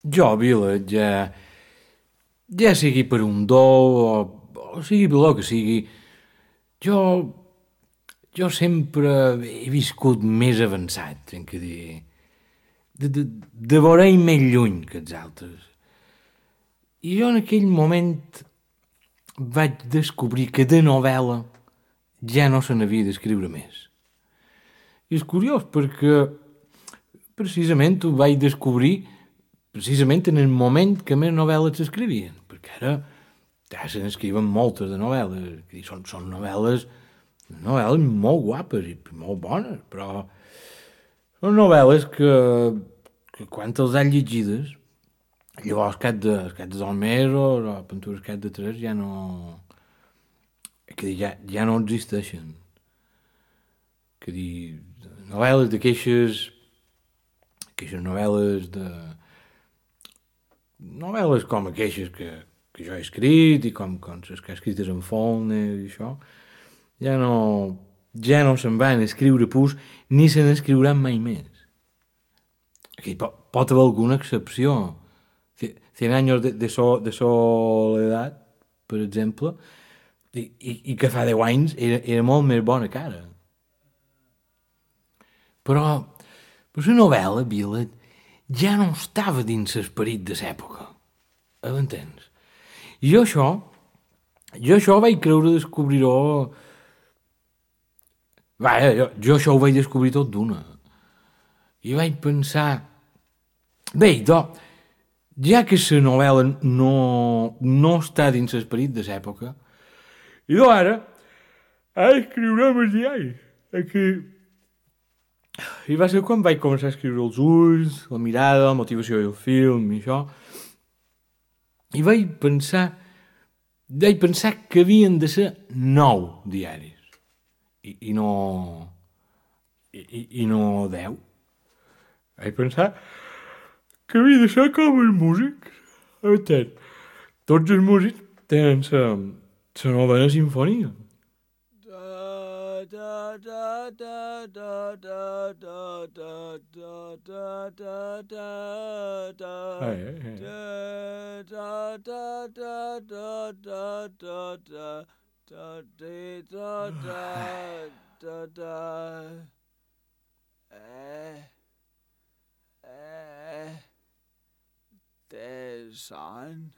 Jo, Vila, ja sigui per un do o sigui per lo que sigui, jo, jo sempre he viscut més avançat, tenc que dir, de veure més lluny que els altres. I jo en aquell moment vaig descobrir que de novel·la ja no se n'havia d'escriure més. I és curiós perquè precisament ho vaig descobrir precisament en el moment que més novel·les s'escrivien, perquè ara ja se n'escriuen moltes de novel·les, que són novel·les molt guapes i molt bones, però són novel·les que quan els han llegides, llavors cap de 2 mesos o Pintures cap de 3 ja no... Que ja no existeixen. Que dir, novel·les queixes novel·les novel·les com aquelles que jo he escrit i com les que he escrites en Faulkner i això, ja no, ja no se'n van escriure pus ni se n'escriuran mai més. Aquí pot haver alguna excepció. Cien años de soledat, per exemple, i que fa 10 anys era molt més bona que ara. Però la novel·la, Vila, ja no estava dins l'esperit de l'època. M'entens? I jo això vaig creure descobrir-ho... Vaja, jo això ho vaig descobrir tot d'una. I vaig pensar... Bé, ja que la novel·la no està dins l'esperit de l'època, i ara escriurem els diaris. Aquí... I va ser quan vaig començar a escriure els ulls, la mirada, la motivació del film i això. I vaig pensar que havien de ser 9 diaris. I no... I no 10. Vaig pensar que havia de ser com els músics. Entens? Tots els músics tenen la novena sinfonia. There's son.